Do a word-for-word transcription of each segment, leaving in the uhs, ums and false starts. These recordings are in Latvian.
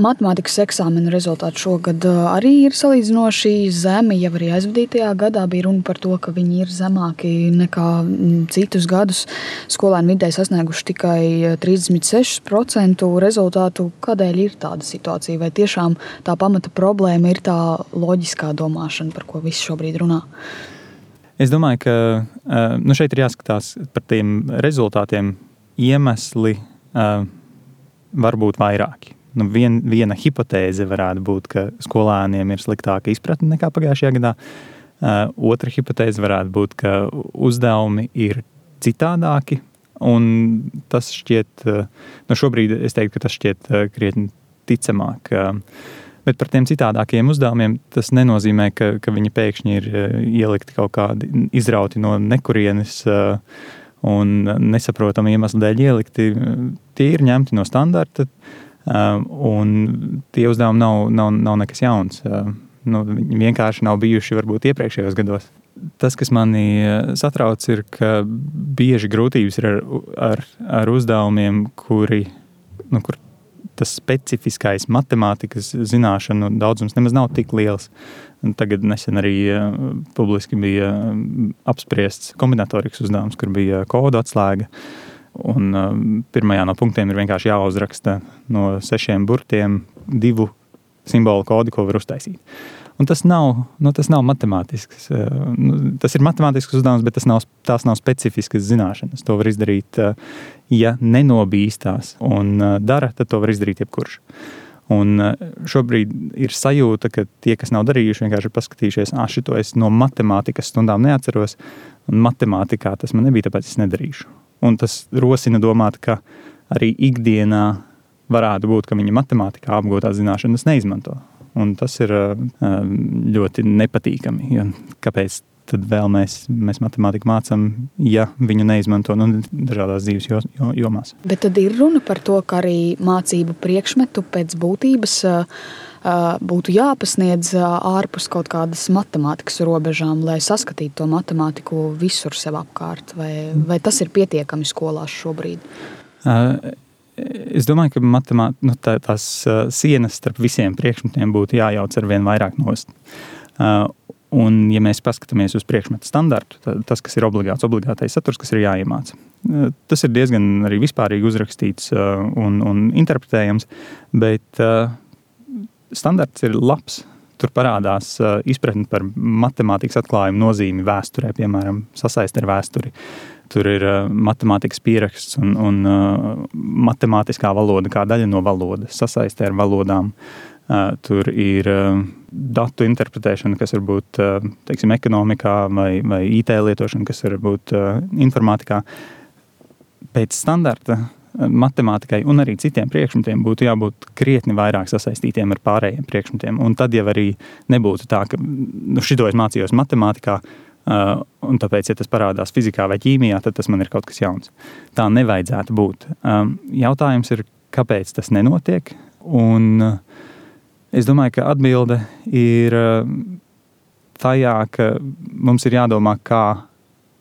matemātikas eksāmenu rezultāti šogad arī ir salīdzinoši zemi. Jau arī aizvadītajā gadā bija runa par to, ka viņi ir zemāki nekā citus gadus. Skolēni vidēji sasnieguši tikai trīsdesmit seši procenti rezultātu. Kādēļ ir tāda situācija? Vai tiešām tā pamata problēma ir tā loģiskā domāšana, par ko visi šobrīd runā? Es domāju, ka nu šeit ir jāskatās par tiem rezultātiem. Iemesli uh, var būt vairāki. Nu, vien, viena hipotēze varētu būt, ka skolēniem ir sliktāka izpratne nekā pagājušajā gadā. Uh, otra hipotēze varētu būt, ka uzdevumi ir citādāki, un tas šķiet, uh, nu šobrīd es teiktu, ka tas šķiet uh, krietni ticamāk. Uh, bet par tiem citādākiem uzdevumiem tas nenozīmē, ka, ka viņi pēkšņi ir uh, ielikti kaut kādi izrauti no nekurienes, uh, un nesaprotami iemesli dēļ ielikti. Tie ir ņemti no standarta, un tie uzdevumi nav, nav, nav nekas jauns. Nu, viņi vienkārši nav bijuši varbūt iepriekšējos gados. Tas, kas mani satrauc, ir, ka bieži grūtības ir ar, ar, ar uzdevumiem, kuri, nu, kur tas specifiskais matemātikas zināšanu daudzums nemaz nav tik liels. Tagad nesen arī uh, publiski bija uh, apspriests kombinatorikas uzdevums, kur bija kodu atslēga. Un uh, pirmajā no punktiem ir vienkārši jāuzraksta no sešiem burtiem divu simbolu kodu, ko var uztaisīt. Un tas nav, nu, tas nav matemātisks. Uh, nu, tas ir matemātisks uzdevums, bet tas nav, tās nav specifiskas zināšanas. To var izdarīt, uh, ja nenobīstās un uh, dara, tad to var izdarīt jebkurš. Un šobrīd ir sajūta, ka tie, kas nav darījuši, vienkārši ir paskatījušies, ah, šito es no matemātikas stundām neatceros, un matemātikā tas man nebija, tāpēc es nedarīšu. Un tas rosina domāt, ka arī ikdienā varētu būt, ka viņi matemātikā apgūtās zināšanas neizmanto. Un tas ir ļoti nepatīkami. Jo kāpēc tad vēl mēs, mēs matemātiku mācām, ja viņu neizmanto nu, dažādās dzīves jomās. Bet tad ir runa par to, ka arī mācību priekšmetu pēc būtības būtu jāpasniedz ārpus kaut kādas matemātikas robežām, lai saskatītu to matemātiku visur sev apkārt. Vai, vai tas ir pietiekami skolās šobrīd? Es domāju, ka matemāt, nu, tā, tās sienas starp visiem priekšmetiem būtu jājauc ar vien vairāk nost. Un, ja mēs paskatāmies uz priekšmetu standartu, tas, kas ir obligāts, obligātais saturs, kas ir jāiemāca. Tas ir diezgan arī vispārīgi uzrakstīts un, un interpretējams, bet standarts ir labs. Tur parādās izpratni par matemātikas atklājumu nozīmi vēsturē, piemēram, sasaist ar vēsturi. Tur ir matemātikas pieraksts un, un matemātiskā valoda kā daļa no valodas, sasaistē ar valodām. Tur ir datu interpretēšana, kas var būt, teiksim, ekonomikā vai, vai I T lietošana, kas var būt informātikā. Pēc standarta matemātikai un arī citiem priekšmetiem būtu jābūt krietni vairāk sasaistītiem ar pārējiem priekšmetiem. Un tad jau arī nebūtu tā, ka nu, šito es mācījos matemātikā, un tāpēc, ja tas parādās fizikā vai ķīmijā, tad tas man ir kaut kas jauns. Tā nevajadzētu būt. Jautājums ir, kāpēc tas nenotiek, un es domāju, ka atbilde ir tajā, ka mums ir jādomā, kā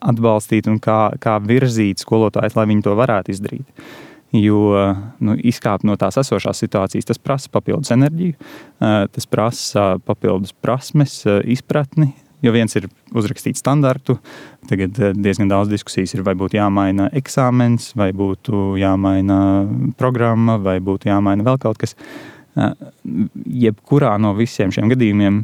atbalstīt un kā, kā virzīt skolotājus, lai viņi to varētu izdarīt. Jo nu, izkāpt no tās esošās situācijas, tas prasa papildus enerģiju, tas prasa papildus prasmes, izpratni, jo viens ir uzrakstīt standartu, tagad diezgan daudz diskusijas ir, vai būtu jāmaina eksāmens, vai būtu jāmaina programma, vai būtu jāmaina vēl kaut kas. Jebkurā no visiem šiem gadījumiem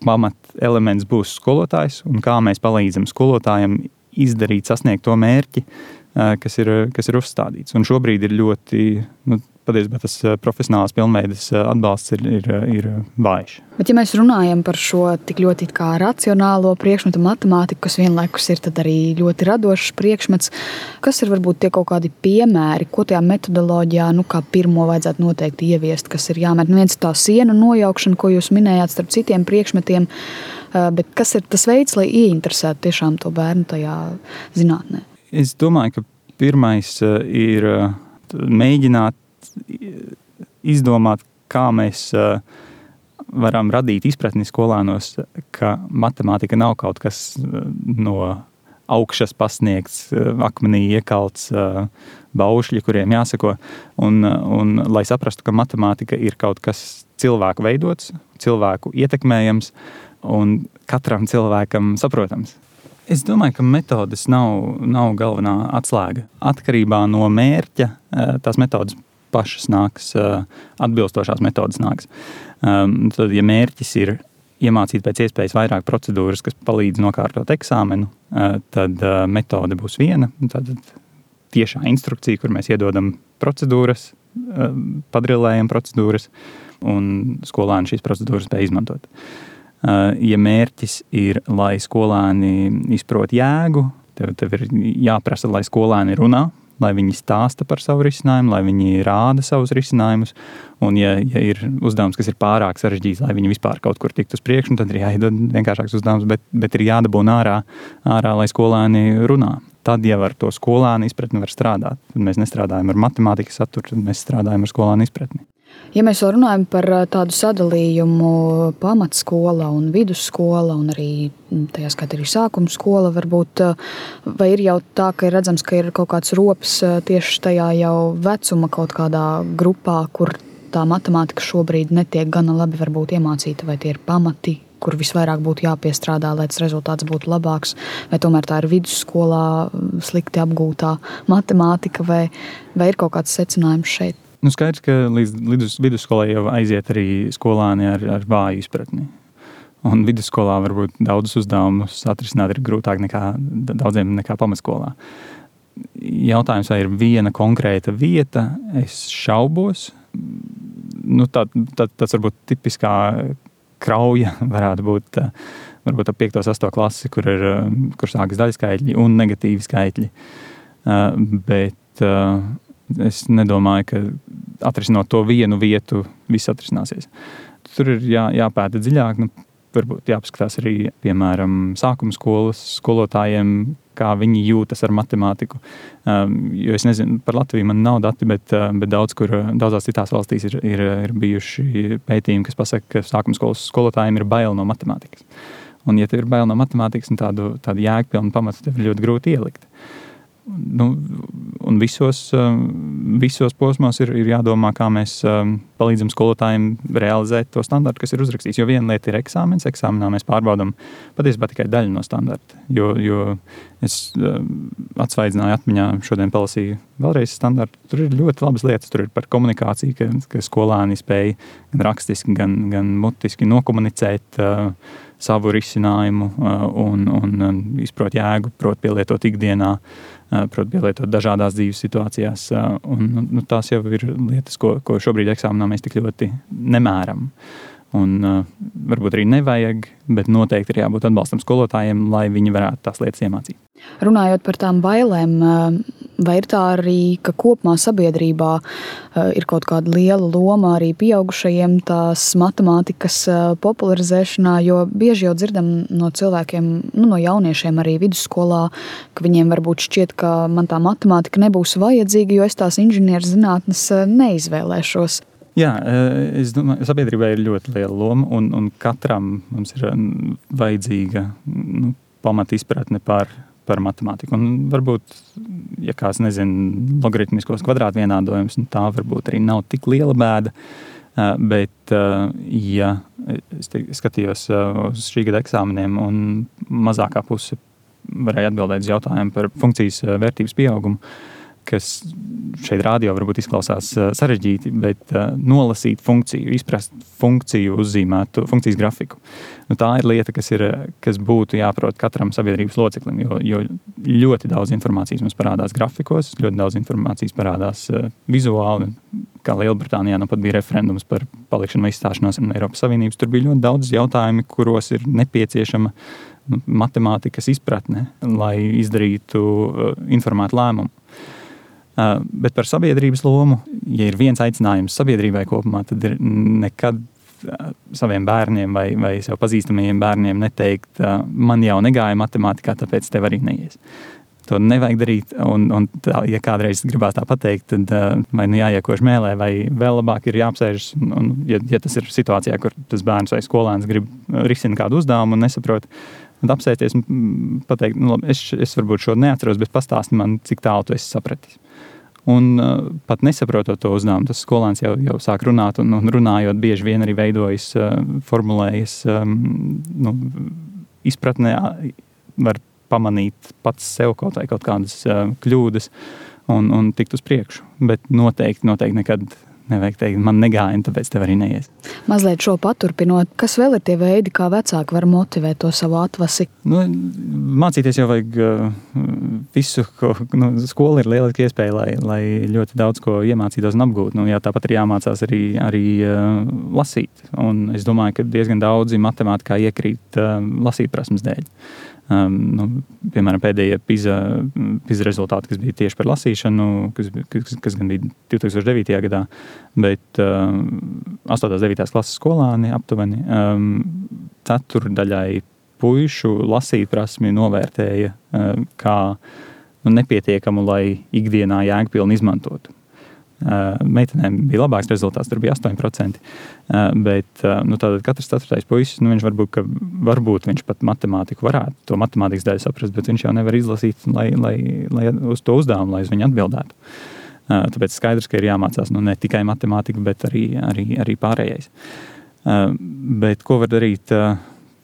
pamat elements būs skolotājs un kā mēs palīdzam skolotājiem izdarīt, sasniegt to mērķi, kas ir, kas ir uzstādīts. Un šobrīd ir ļoti, nu, patiesībā tas profesionālās pilnveides atbalsts ir, ir, ir vājš. Bet ja mēs runājam par šo tik ļoti kā racionālo priekšmetu matemātiku, kas vienlaikus ir tad arī ļoti radošs priekšmets, kas ir varbūt tie kaut kādi piemēri, ko tajā metodoloģijā, nu kā pirmo vajadzētu noteikti ieviest, kas ir jāmet? Nu, viens tā sienu nojaukšana, ko jūs minējāt starp citiem priekšmetiem, bet kas ir tas veids, lai ieinteresētu tiešām to bērnu tajā zinātnē? Es domāju, ka pirmais ir mēģināt izdomāt, kā mēs varam radīt izpratni skolānos, ka matemātika nav kaut kas no augšas pasniegts, akmenī iekalts baušļi, kuriem jāsako. Un, un lai saprastu, ka matemātika ir kaut kas cilvēku veidots, cilvēku ietekmējams un katram cilvēkam saprotams. Es domāju, ka metodes nav, nav galvenā atslēga. Atkarībā no mērķa tās metodes pašas nāks, atbilstošās metodes nāks. Tad, ja mērķis ir iemācīt pēc iespējas vairāk procedūras, kas palīdz nokārtot eksāmenu, tad metode būs viena. Tad tiešā instrukcija, kur mēs iedodam procedūras, padrilējam procedūras, un skolēni šīs procedūras spēj izmantot. Ja mērķis ir, lai skolēni izprot jēgu, tev, tev ir jāprasa, lai skolēni runā, lai viņi stāsta par savu risinājumu, lai viņi rāda savus risinājumus. Un ja, ja ir uzdevums, kas ir pārāk sarežģīts, lai viņi vispār kaut kur tiktu uz priekšu, tad ir jāiedod vienkāršāks uzdevums, bet, bet ir jādabūna ārā, ārā, lai skolēni runā. Tad jau ar to skolēnu izpratni var strādāt. Tad mēs nestrādājam ar matemātikas saturu, tad mēs strādājam ar skolēnu izpratni. Ja mēs vēl runājam par tādu sadalījumu pamatskola un vidusskola un arī tajā skatā arī sākuma skola, varbūt, vai ir jau tā, ka ir redzams, ka ir kaut kāds rops tieši tajā jau vecuma kaut kādā grupā, kur tā matemātika šobrīd netiek gana labi varbūt iemācīta, vai tie ir pamati, kur visvairāk būtu jāpiestrādā, lai tas rezultāts būtu labāks, vai tomēr tā ir vidusskolā slikti apgūtā matemātika, vai, vai ir kaut kāds secinājums šeit? Nu, skaidrs, ka līdz vidus, vidusskolai jau aiziet arī skolāni ar, ar vāju izpratni. Un vidusskolā varbūt daudzus uzdevumus atrisināt ir grūtāk nekā daudziem nekā pamatskolā. Jautājums, vai ir viena konkrēta vieta, es šaubos. Nu, tā, tā, tas varbūt tipiskā krauja varētu būt varbūt ap piekto sesto klasi, kur, ir, kur sākas daļskaitļi un negatīvi skaitļi. Bet es nedomāju, ka atrisinot to vienu vietu, viss atrisināsies. Tur ir jā, jāpēta dziļāk, nu, varbūt jāpaskatās arī, piemēram, sākuma skolas skolotājiem, kā viņi jūtas ar matemātiku. Um, jo es nezinu, par Latviju man nav dati, bet, bet daudz, kur, daudzās citās valstīs ir, ir, ir bijuši pētījumi, kas pasaka, ka sākuma skolas skolotājiem ir bail no matemātikas. Un, ja tev ir bail no matemātikas, un tādu, tādu jēgpilnu pamatu tev ir ļoti grūti ielikt. Nu, un visos, visos posmos ir, ir jādomā, kā mēs palīdzam skolotājiem realizēt to standartu, kas ir uzrakstīts. Jo viena lieta ir eksāmens. Eksāmenā mēs pārbaudam patiesībā tikai daļu no standarta. Jo, jo es atsvaidzināju atmiņā, šodien palasīju vēlreiz standartu. Tur ir ļoti labas lietas. Tur ir par komunikāciju, ka, ka skolāni spēj gan rakstiski, gan, gan mutiski nokomunicēt uh, savu risinājumu uh, un, un izprot jēgu, prot pielietot ikdienā, uh, prot pielietot dažādās dzīves situācijās. Uh, un, nu, tās jau ir lietas, ko, ko šobrīd eksāmenā mēs tik ļoti nemēram. Un uh, varbūt arī nevajag, bet noteikti ir jābūt atbalstam skolotājiem, lai viņi varētu tās lietas iemācīt. Runājot par tām bailēm, vai ir tā arī, ka kopumā sabiedrībā ir kaut kāda liela loma arī pieaugušajiem tās matemātikas popularizēšanā, jo bieži jau dzirdam no cilvēkiem, nu, no jauniešiem arī vidusskolā, ka viņiem varbūt šķiet, ka man tā matemātika nebūs vajadzīga, jo es tās inženierzinātnes neizvēlēšos. Jā, es domāju, sabiedrībai ir ļoti liela loma, un, un katram mums ir vajadzīga nu, pamat izpratne par, par matemātiku. Un varbūt, ja kāds nezina logaritmiskos kvadrātvienādojums, tā varbūt arī nav tik liela bēda, bet, ja es te, skatījos uz šī gada eksāmeniem un mazākā puse varēja atbildēt uz jautājumu par funkcijas vērtības pieaugumu, kas šeit rādio varbūt izklausās sarežģīti, bet uh, nolasīt funkciju, izprast funkciju, uzzīmētu funkcijas grafiku. Nu, tā ir lieta, kas, ir, kas būtu jāprot katram sabiedrības loceklim, jo, jo ļoti daudz informācijas mums parādās grafikos, ļoti daudz informācijas parādās uh, vizuāli. Kā Lielbritānijā nu pat bija referendums par palikšanu vai izstāšanos no Eiropas Savienības. Tur bija ļoti daudz jautājumi, kuros ir nepieciešama nu, matemātikas izpratne, lai izdarītu uh, informētu lēmumu. Uh, bet par sabiedrības lomu, ja ir viens aicinājums sabiedrībai kopumā, tad ir nekad uh, saviem bērniem vai, vai sev pazīstamajiem bērniem neteikt, uh, man jau negāja matemātikā, tāpēc tev arī neies. To nevajag darīt, un, un tā, ja kādreiz gribās tā pateikt, tad uh, vai nu jāiekož mēlē, vai vēl labāk ir jāapsēžas, un, un ja, ja tas ir situācijā, kur tas bērns vai skolēns grib risināt kādu uzdevumu un nesaprot, Un apsēties un pateikt, nu, labi, es, es varbūt šo neatceros, bet pastāsti man, cik tālu tu esi sapratis. Un uh, pat nesaprotot to uzdevumu, tas skolēns jau, jau sāk runāt, un, un runājot bieži vien arī veidojas, uh, formulējas, um, nu, izpratnē var pamanīt pats sev kaut vai kaut kādas uh, kļūdas un, un tikt uz priekšu. Bet noteikti, noteikti nekad nevajag teikt, man negāja, un tāpēc tev arī neies. Mazliet šo paturpinot, kas vēl ir tie veidi, kā vecāki var motivēt to savu atvasi? Nu, mācīties jau vajag uh, visu, ko, nu, skola ir lieliski iespēja, lai, lai ļoti daudz ko iemācītos un apgūt. Nu, jā, tāpat ir jāmācās arī, arī uh, lasīt. Un es domāju, ka diezgan daudzi matemātikā iekrīt uh, lasīt prasmes dēļ. Um, nu, piemēram, pēdējie PISA, PISA rezultāti, kas bija tieši par lasīšanu, kas, kas, kas gan bija divi tūkstoši devītajā gadā, bet uh, astotās devītās klases skolāni aptuveni um, ceturdaļai puišu lasīt prasmi novērtēja uh, kā nu, nepietiekamu, lai ikdienā jēgpilni izmantotu. Uh, meitenēm bija labāks rezultāts, tur bija astoņi procenti, uh, bet uh, nu, tātad katrs ceturtais puisis, nu, viņš varbūt, ka, varbūt viņš pat matemātiku varētu, to matemātikas daļu saprast, bet viņš jau nevar izlasīt, lai, lai, lai uz to uzdevumu, lai uz viņu atbildētu. Uh, tāpēc skaidrs, ka ir jāmācās nu, ne tikai matemātika, bet arī, arī, arī pārējais. Uh, bet ko var darīt uh,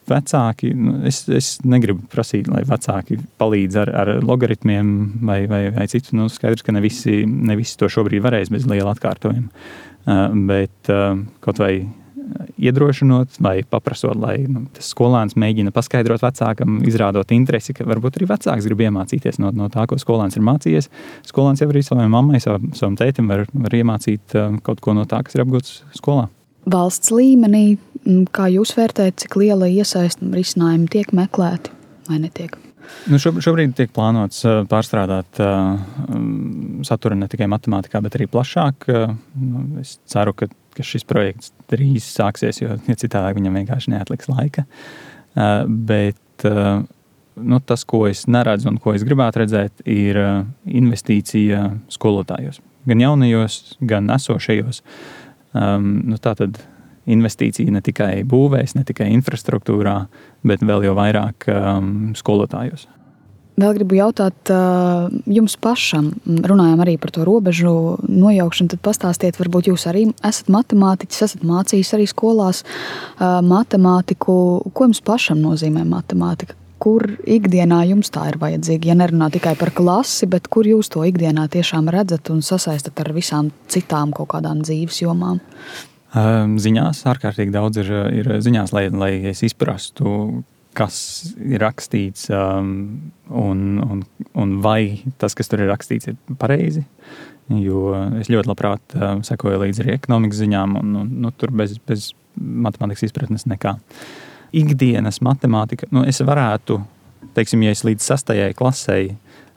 vecāki? Nu, es, es negribu prasīt, lai vecāki palīdz ar, ar logaritmiem vai, vai, vai citu. Nu, skaidrs, ka ne visi, ne visi to šobrīd varēs bez liela atkārtojuma. Uh, bet uh, kaut vai iedrošinot vai paprasot, lai nu, tas skolēns mēģina paskaidrot vecākam, izrādot interesi, ka varbūt arī vecāks grib iemācīties no, no tā, ko skolēns ir mācījies. Skolēns jau arī savai mammai, savam, savam tētim var, var iemācīt uh, kaut ko no tā, kas ir apgūts skolā. Valsts līmenī, kā jūs vērtējat, cik liela iesaista risinājumi tiek meklēti vai netiek? Nu, šobrīd tiek plānots pārstrādāt uh, saturu ne tikai matemātikā, bet arī plašāk. Uh, es ceru, ka, ka šis projekts drīz sāksies, jo ja citādāk viņam vienkārši neatliks laika. Uh, bet uh, nu, tas, ko es neredzu un ko es gribētu redzēt, ir uh, investīcija skolotājos. Gan jaunajos, gan esošajos. Um, nu, tā tad investīcija ne tikai būvēs, ne tikai infrastruktūrā, bet vēl jau vairāk um, skolotājos. Vēl gribu jautāt uh, jums pašam, runājām arī par to robežu nojaukšanu, tad pastāstiet, varbūt jūs arī esat matemātiķis, esat mācījis arī skolās uh, matemātiku. Ko jums pašam nozīmē matemātika? Kur ikdienā jums tā ir vajadzīga? Ja nerunā tikai par klasi, bet kur jūs to ikdienā tiešām redzat un sasaistat ar visām citām kaut kādām dzīves jomām? Ziņās ārkārtīgi daudz ir, ir ziņās, lai, lai es izprastu, kas ir rakstīts um, un, un, un vai tas, kas tur ir rakstīts, ir pareizi. Jo es ļoti labprāt uh, sekoju līdzi arī ekonomikas ziņām un, un nu, tur bez, bez matemātikas izpratnes nekā. Ikdienas matemātika, nu es varētu, teiksim, ja es līdz sastajai klasei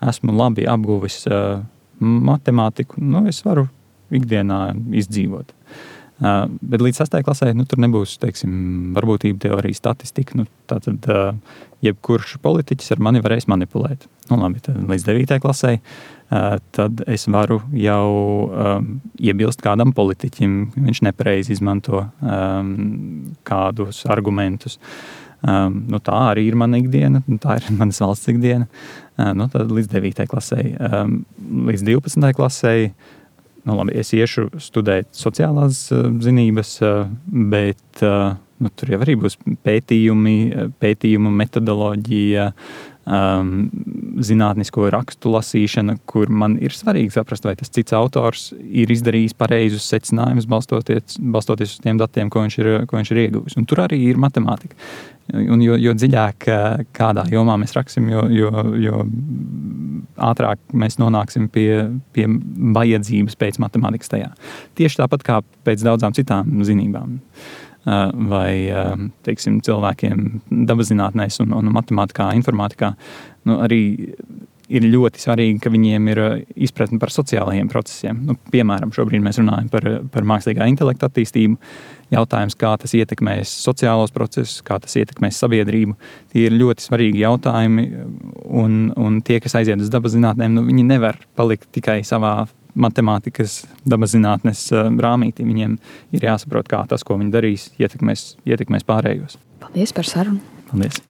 esmu labi apguvis uh, matemātiku, nu es varu ikdienā izdzīvot. Uh, bet līdz sastajai klasē, nu, tur nebūs, teiksim, varbūtība teorija, statistika. Nu, tātad uh, jebkurš politiķis ar mani varēs manipulēt. Nu, labi, tad līdz devītajai klasē, uh, tad es varu jau um, iebilst kādam politiķim, viņš nepareizi izmanto um, kādus argumentus. Um, nu, tā arī ir mana ikdiena, tā ir manas valsts ikdiena. Uh, nu, tad līdz devītajai klasē, um, līdz divpadsmitajai klasē, nu, labi, es iešu studēt sociālās uh, zinības, uh, bet uh, nu, tur jau arī būs pētījumi, pētījumu metodoloģija, um, zinātnisko rakstu lasīšana, kur man ir svarīgi saprast, vai tas cits autors ir izdarījis pareizus secinājumus, balstoties, balstoties uz tiem datiem, ko viņš ir, ko viņš ir ieguvis. Un tur arī ir matemātika. Un jo, jo dziļāk kādā jomā mēs raksim, jo, jo, jo ātrāk mēs nonāksim pie, pie vajadzības pēc matemātikas tajā. Tieši tāpat kā pēc daudzām citām zinībām. Vai, teiksim, cilvēkiem dabaszinātnēs un, un matemātikā, informātikā, nu, arī ir ļoti svarīgi, ka viņiem ir izpratne par sociālajiem procesiem. Nu, piemēram, šobrīd mēs runājam par, par mākslīgā intelekta attīstību. Jautājums, kā tas ietekmēs sociālos procesus, kā tas ietekmēs sabiedrību. Tie ir ļoti svarīgi jautājumi, un, un tie, kas aiziet uz dabaszinātnēm, nu, viņi nevar palikt tikai savā matemātikas dabaszinātnes rāmītī. Viņiem ir jāsaprot, kā tas, ko viņi darīs, ietekmēs, ietekmēs pārējos. Paldies par sarunu. Paldies.